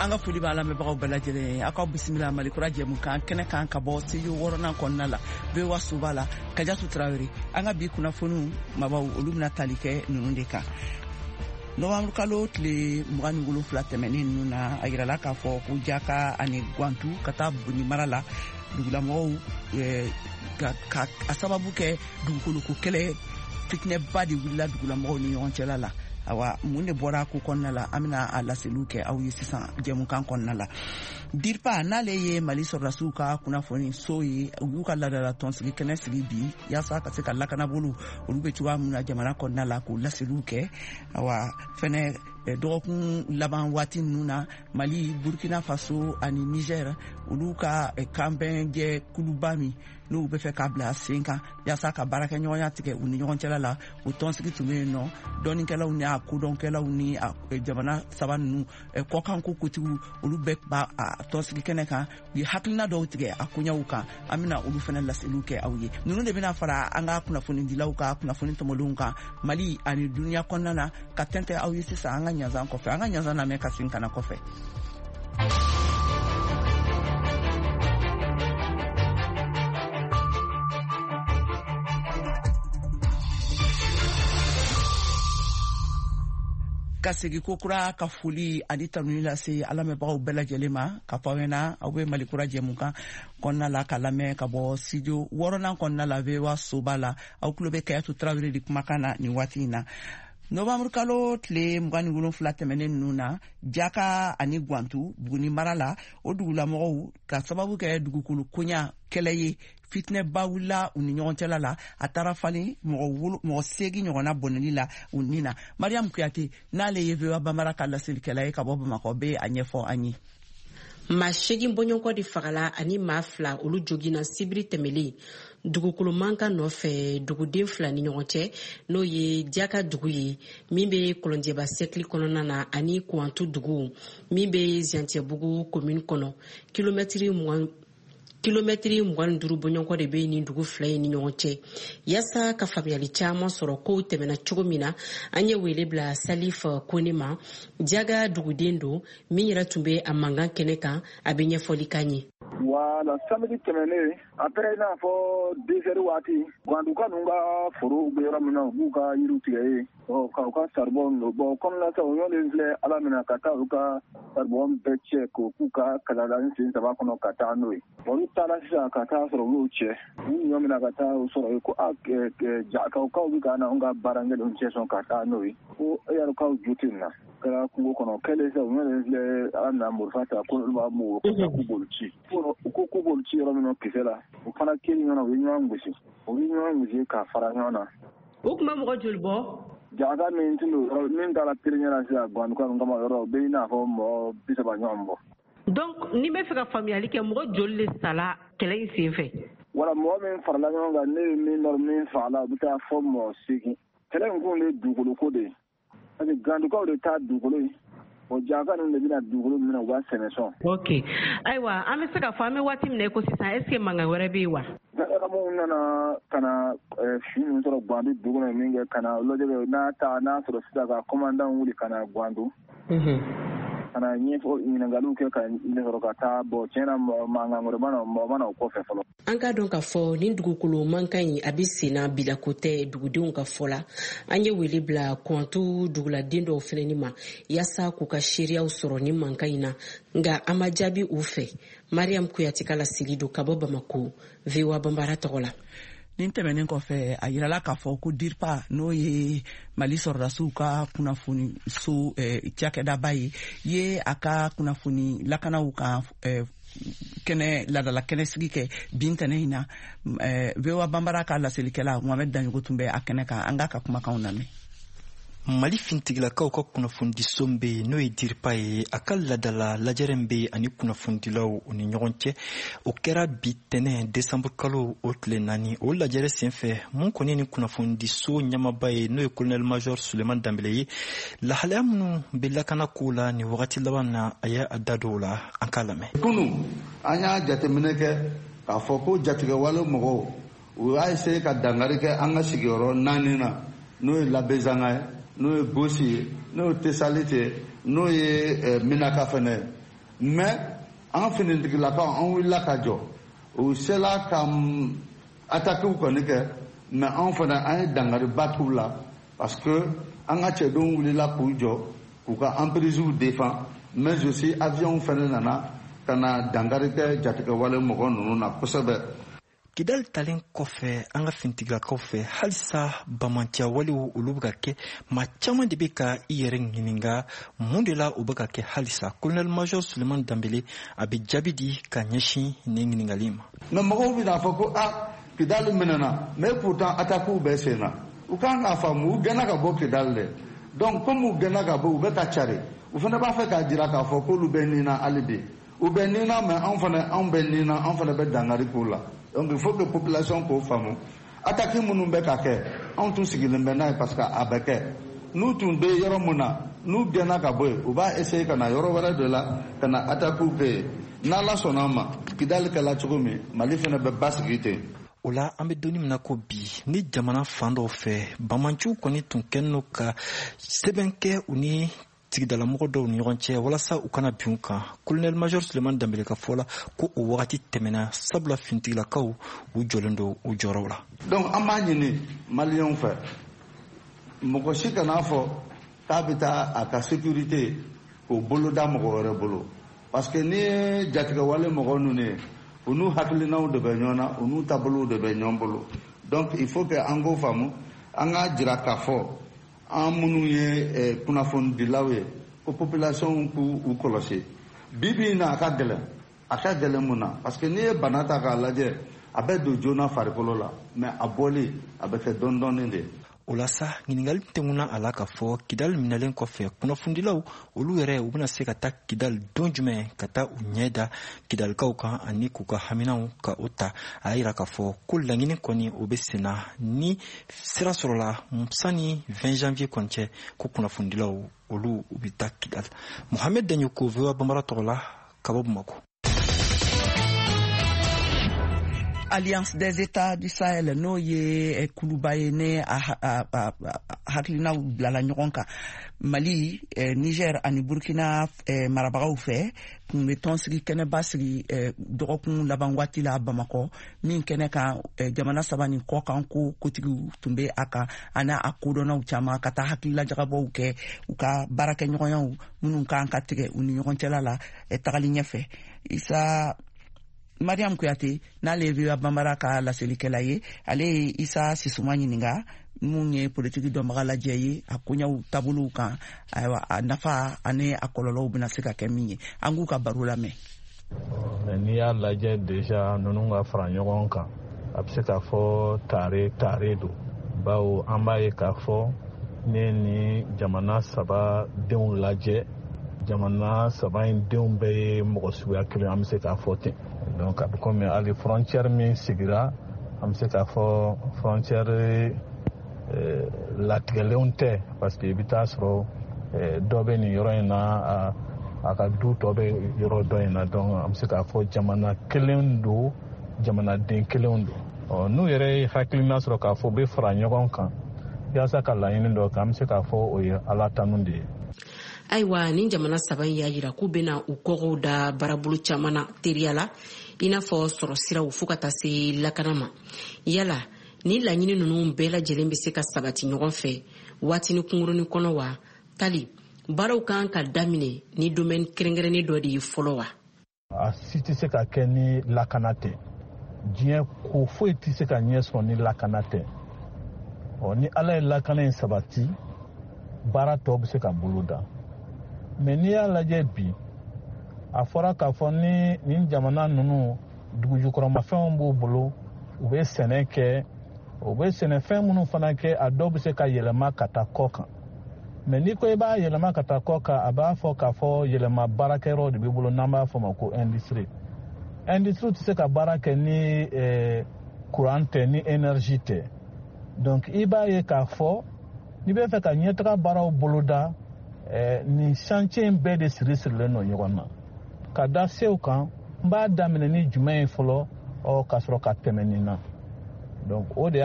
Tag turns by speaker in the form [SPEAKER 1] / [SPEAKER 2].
[SPEAKER 1] An ka foli b'a lamɛnbagaw bɛɛ lajɛlen ye. Aw ka bisimila Malikura jɛmukan kɛnɛ kan ka bɔ studio wɔɔrɔnan kɔnɔna la, VOA soba la. Kajatu Tarawele. An ka bi kunnafoniw mabaw, olu bɛna tali kɛ ninnu de kan. Novanburu kalo tile 27 tɛmɛnen ninnu na, a yirala k'a fɔ ko Jaka ani Gwantu ka taa Buguni mara la, dugulamɔgɔw ka a sababu kɛ dugukoloko kɛlɛ, fitinɛba de wulila dugulamɔgɔw ni ɲɔgɔn cɛla la. Awa, mun de bɔra ko kɔnɔna la? An bɛna a laseliw kɛ aw ye sisan jɛmukan kɔnɔna la. DIRPA, n'ale ye Mali sɔrɔdasiw ka kunnafoni so ye, u y'u ka laadala tɔnsigi kɛnɛ sigi bi yaasa ka se ka lakanabolo olu bɛ cogoya min na jamana kɔnɔna la, k'o laseliw kɛ. Awa fɛnɛ, dɔgɔkun laban waati ninnu na, Mali, Burkina Faso ani Niger, olu ka kanbɛnjɛ kuluba min n'u bɛ fɛ k'a bila sen kan yaasa ka baarakɛɲɔgɔnya tigɛ u ni ɲɔgɔn cɛla la, o tɔnsigi tun bɛ yen nɔ. Dɔnnikɛlaw ni a kodɔnkɛlaw ni a jamana saba ninnu kɔkanko kotigiw, olu bɛɛ b'a tɔnsigi kɛnɛ kan. U ye hakilina dɔw tigɛ a koɲɛw kan, an bɛna olu fana laseliw kɛ aw ye. Ninnu de bɛna fara an ka kunnafonidilaw ka kunnafoni tɔmɔlenw kan Mali ani duniya kɔnɔna na ka tɛntɛ aw ye sisan an ka ɲanzan kɔfɛ. An ka ɲanzan lamɛn ka segin ka na kɔfɛ. Ka segi ko kura ka foli ani tanuni lase a lamɛnbagaw bɛɛ lajɛlen ma, ka fɔ aw ɲɛna aw bɛ Malikura jɛmukan kɔnɔna la ka lamɛn ka bɔ studio wɔɔrɔnan kɔnɔna la, VOA soba la. Aw tulo bɛ Kayatu Tarawele de kumakan na nin waati in na. Novanburu kalo tile 27 tɛmɛnen ninnu na, Jaka ani Gwantu, Buguni mara la, o dugulamɔgɔw ka sababu kɛ dugukolo koɲa kɛlɛ ye, fitinɛba wulila u ni ɲɔgɔn cɛla la. A taara falen mɔgɔ 8 ɲɔgɔnna bɔnɛli la u ni na. Mariam Kuyate, n'ale ye VOA Bambara ka laselikɛla ye ka bɔ Bamakɔ, bɛ a ɲɛfɔ an ye.
[SPEAKER 2] Maa 8 bɔɲɔgɔnkɔ de fagala ani maa 2, olu jogina sibiri tɛmɛlen dugukolo mankan nɔfɛ duguden 2 ni ɲɔgɔn cɛ, n'o ye Jaka dugu ye min bɛ Kɔlɔnjɛba sɛkili kɔnɔna na, ani Kuwantu dugu min bɛ Zantiyɛbugu commune kɔnɔ. Kilomɛtiri 25 bɔɲɔgɔnkɔ de bɛ nin dugu 2 in ni ɲɔgɔn cɛ. Yaasa ka faamuyali caman sɔrɔ kow tɛmɛna cogo min na, an ye wele bila Salif Kone ma. Jaga duguden don min yɛrɛ tun bɛ a mankan kɛnɛ kan, a bɛ ɲɛfɔli k'an ye.
[SPEAKER 3] Wala, samedi tɛmɛnen, après i n'a fɔ 2 heures waati, Gwanduka ninnu ka foro bɛ yɔrɔ min na, u b'u ka yiriw tigɛ yen, ka u ka charbon don. Bon, kɔnɔna sa, o ɲɔgɔn filɛ ala minɛ ka taa u ka charbon bɛɛ cɛ k'o k'u ka kalada sen saba kɔnɔ ka taa n'o ye. Olu taara sisan ka taa sɔrɔ u y'o cɛ, u ɲɔ minɛ ka taa o sɔrɔ yen ko a Jakakaw bɛ ka na anw ka baara kɛlenw cɛ sɔn ka taa n'o ye, ko e yɛrɛ k'aw jo tɛ nin na. Kɛra kungo kɔnɔ kɛlen sa, u ɲɔ filɛ ala minɛ marifa ta ko olu b'a mugu k'u b'olu ci. U ko k'u b'olu ci yɔrɔ min na kisɛ la, u fana kelen ɲɔgɔn na, u ye ɲɔgɔn gosi, u ye ɲɔgɔn gosi ka fara ɲɔgɔn na.
[SPEAKER 2] O tun bɛ mɔgɔ joli bɔ?
[SPEAKER 3] Jaka min tun don yɔrɔ min taara premier la sisan Gwanduka ninnu kama yɔrɔ, o bɛ i n'a fɔ mɔgɔ 30 ɲɔgɔn bɔ.
[SPEAKER 2] Donc ni bɛ fɛ ka faamuyali kɛ, mɔgɔ joli de sala kɛlɛ in sen fɛ?
[SPEAKER 3] Wala, mɔgɔ min farala ɲɔgɔn kan, ne ye min dɔn min fagala, o bɛ taa fɔ mɔgɔ 8. Kɛlɛ in kun de ye dugukolo ko de ye, parce que Gandukaw de taa dugukolo ye. O Jaka ninnu de bɛna dugukolo minɛ, u b'a sɛnɛ sɔn.
[SPEAKER 2] Ok, ayiwa, an bɛ se k'a fɔ an bɛ waati min na i ko sisan, est ce que mankan wɛrɛ bɛ yen wa?
[SPEAKER 3] Gendarmew nana ka na su ninnu sɔrɔ Gwandu dugu kɔnɔ min kɛ ka na lajɛ kɛ, n'a ta n'a sɔrɔ sisan ka commandant wuli ka na Gwandu ka na ɲɛfɔ, ɲininkaliw kɛ ka sɔrɔ ka taa. Bɔn, tiɲɛ na, mankan wɛrɛ ma na, mɔgɔ ma na o kɔfɛ fɔlɔ.
[SPEAKER 2] An k'a dɔn k'a fɔ nin dugukolo mankan in, a bɛ senna bilako tɛ dugudenw ka fɔ la. An ye wele bila Kɔntu duguladen dɔw fɛnɛni ma yaasa k'u ka seereyaw sɔrɔ nin mankan in na, nka an ma jaabi u fɛ. Mariam Kuyate ka laseli don ka bɔ Bamako, VOA Banbara tɔgɔ la.
[SPEAKER 1] Nin tɛmɛnen kɔfɛ, a yirala k'a fɔ ko DIRPA, n'o ye Mali sɔrɔdasiw ka kunnafoni so cakɛdaba ye, ye a ka kunnafoni lakanaw kan kɛnɛ ladala kɛnɛ sigi kɛ bin tɛnɛ in na. VOA Banbara ka laselikɛla Mohamɛd Daɲogo tun bɛ a kɛnɛ kan. An k'a ka kumakanw lamɛn.
[SPEAKER 4] Mali fintigilakaw ka kunnafonidiso bɛ yen, n'o ye DIRPA ye, a ka ladala lajɛrɛ bɛ yen ani kunnafonidilaw u ni ɲɔgɔn cɛ, o kɛra bi tɛnɛ, desanburu kalo o tile 4. O lajɛrɛ senfɛ, mun kɔni ni kunnafonidiso ɲɛmaba ye, n'o ye colonel major Suleman Danbele ye, lahalaya minnu bɛ lakana kow la nin wagati laban na, a ye a da don o la. An k'a lamɛn.
[SPEAKER 5] Kunu, an y'a jateminɛ kɛ k'a fɔ ko jatigɛwale mɔgɔw, u y'a essayer ka dankari kɛ an ka sigiyɔrɔ naani na, n'o ye Labezanga ye, n'o ye Gosi ye, n'o ye Tesalite ye, n'o ye Minaka fɛnɛ ye. Mais an finitigilakaw, an wulila ka jɔ. U sela ka attaquew kɔni kɛ, mais anw fana, an ye dangariba k'u la, parce que an ka cɛdenw wulila k'u jɔ k'u ka emprises défend, mais aussi avion fana nana ka na dankari kɛ jatigɛwale mɔgɔ ninnu na kosɛbɛ.
[SPEAKER 4] Kidali talen kɔfɛ an ka finitigilakaw fɛ, halisa bamanciya walew, olu bɛ ka kɛ. Maa caman de bɛ ka i yɛrɛ ɲininka mun de la o bɛ ka kɛ halisa. Colonel major Suleman Danbele, a bɛ jaabi di ka ɲɛsin nin ɲininkali ma.
[SPEAKER 5] Mais mɔgɔw bɛna fɔ ko a Kidali minɛna, mais pourtant attaques bɛ sen na. U kan k'a faamu, u gɛnna ka bɔ Kidali dɛ. Donc comme u gɛnna ka bɔ, u bɛ ka cari, u fana b'a fɛ k'a jira k'a fɔ k'olu bɛ nin na. Hali bi u bɛ nin na, mais anw fana, anw bɛ nin na, anw fana bɛ dankari k'u la. Donc il faut que population k'o faamu. Attaque minnu bɛ ka kɛ, anw tun sigilen bɛ n'a ye, parce que a bɛ kɛ. N'u tun bɛ yɔrɔ mun na, n'u gɛnna ka bɔ yen, u b'a essayer ka na yɔrɔ wɛrɛ de la ka na attaque kɛ yen. N'Ala sɔnna a ma, Kidali kɛla cogo min, Mali fana bɛ basigi ten.
[SPEAKER 4] O la, an bɛ donni min na ko bi, ni jamana fan dɔw fɛ, bamanciw kɔni tun kɛlen don ka sɛbɛn kɛ u ni sigidalamɔgɔ dɔw ni ɲɔgɔn cɛ walasa u kana bin u kan. Colonel major Suleman Danbele ka fɔ la, ko o wagati tɛmɛna, sabula finitigilakaw, u jɔlen don u jɔyɔrɔw la.
[SPEAKER 5] Donc an b'a ɲini Maliyɛnw fɛ, mɔgɔ si kan'a fɔ k'a bɛ taa a ka sécurité k'o bolo da mɔgɔ wɛrɛ bolo, parce que n'i ye jatigɛwale mɔgɔ ninnu ye, u n'u hakilinaw de bɛ ɲɔgɔn na, u n'u taabolow de bɛ ɲɔgɔn bolo. Donc il faut que an k'o faamu. An k'a jira k'a fɔ an minnu ye kunnafonidilaw ye ko population k'u u kɔlɔsi. Bi bi in na, a ka gɛlɛn. A ka gɛlɛn mun na? Parce que n'i ye bana ta k'a lajɛ, a bɛ don joona farikolo la, mais a bɔli, a bɛ kɛ dɔɔni dɔɔni de.
[SPEAKER 4] O la sa, ɲininkali tɛŋuna a la k'a fɔ Kidali minɛlen kɔfɛ, kunnafonidilaw olu yɛrɛ, u bɛna se ka taa Kidali don jumɛn ka taa u ɲɛ da Kidalikaw kan ani k'u ka haminaw ka o ta? A y'a yira k'a fɔ ko laɲini kɔni, o bɛ senna. Ni sira sɔrɔla sani 20 janvier kɔni cɛ, ko kunnafonidilaw olu, u bɛ taa Kidali. Mohamed Daɲoko, VOA Bambara tɔgɔ la, ka bɔ Bamako.
[SPEAKER 1] Alliance des États du Sahel, n'o ye kuluba ye ne a hakilinaw bilala ɲɔgɔn kan Mali, Niger ani Burkina marabagaw fɛ, kun bɛ tɔnsigi kɛnɛba sigi dɔgɔkun laban waati la Bamakɔ, min kɛnɛ kan jamana saba nin kɔ kan ko kotigiw tun bɛ a kan ani a kodɔnnaw caman, ka taa hakililajagabɔw kɛ u ka baarakɛɲɔgɔnyaw minnu kan ka tigɛ u ni ɲɔgɔn cɛla la tagali ɲɛfɛ. Isa Mariam Kuyate, n'ale ye VOA Bambara ka laselikɛla ye, ale ye Isa Sisuma ɲininka, mun ye politiki dɔnbaga lajɛ ye, a koɲɛw taabolow kan, ayiwa, a nafa ani a kɔlɔlɔw bɛna se ka kɛ min ye. An k'u ka baro lamɛn.
[SPEAKER 6] Mais n'i y'a lajɛ déjà, ninnu ka fara ɲɔgɔn kan, a bɛ se k'a fɔ tare tare don, bawo an b'a ye k'a fɔ ne ni jamana saba denw lajɛ, jamana saba in denw bɛɛ ye mɔgɔ suguya kelen, an bɛ se k'a fɔ ten. Donc a bɛ komi hali frontière min sigira, an bɛ se k'a fɔ frontière latigɛlenw tɛ, parce que i bɛ taa sɔrɔ dɔ bɛ nin yɔrɔ in na, a ka du tɔ bɛ yɔrɔ dɔ in na. Donc an bɛ se k'a fɔ jamana kelen don, jamanaden kelenw don. Ɔ, n'u yɛrɛ ye hakilina sɔrɔ k'a fɔ u bɛ fara ɲɔgɔn kan yaasa ka laɲini dɔ kɛ, an bɛ se k'a fɔ o ye Ala tanu de ye.
[SPEAKER 2] Ayiwa, ni jamana saba in y'a yira k'u bena u kɔgɔw da baarabolo caman na teriya la, i n'a fɔ sɔrɔ siraw fɔɔ ka taa se lakana ma. Yala ni laɲini nunu bɛɛ lajɛlen be se ka sabati ɲɔgɔn fɛ waatini kunkurunin kɔnɔ wa? Tali baaraw kan ka daminɛ ni domaine kɛrɛnkɛrɛnnen dɔ de ye fɔlɔ wa?
[SPEAKER 6] A si tɛ se ka kɛ ni lakana tɛ. Diɲɛ ko foyi tɛ se ka ɲɛ sɔrɔ ni lakana tɛ. Ɔ, ni Ala ye lakana in sabati, baara tɔw bɛ se ka bolo da. Mais n'i y'a lajɛ bi, a fɔra k'a fɔ ni nin jamana ninnu, dugujukɔrɔmafɛnw b'u bolo, u bɛ sɛnɛ kɛ, u bɛ sɛnɛfɛn minnu fana kɛ, a dɔw bɛ se ka yɛlɛma ka taa kɔ kan. Mais n'i ko i b'a yɛlɛma ka taa kɔ kan, a b'a fɔ k'a fɔ yɛlɛma baarakɛyɔrɔ de b'i bolo, n'an b'a fɔ ma ko industrie. Industrie tɛ se ka baara kɛ ni courant tɛ, ni énergie tɛ. Donc i b'a ye k'a fɔ n'i bɛ fɛ ka ɲɛtaga baaraw boloda, nin chantier in bɛɛ de siri sirilen don ɲɔgɔn na ka da sew kan. N b'a daminɛ ni jumɛn ye fɔlɔ, ɔ, ka sɔrɔ ka tɛmɛ nin na? Donc o de y'a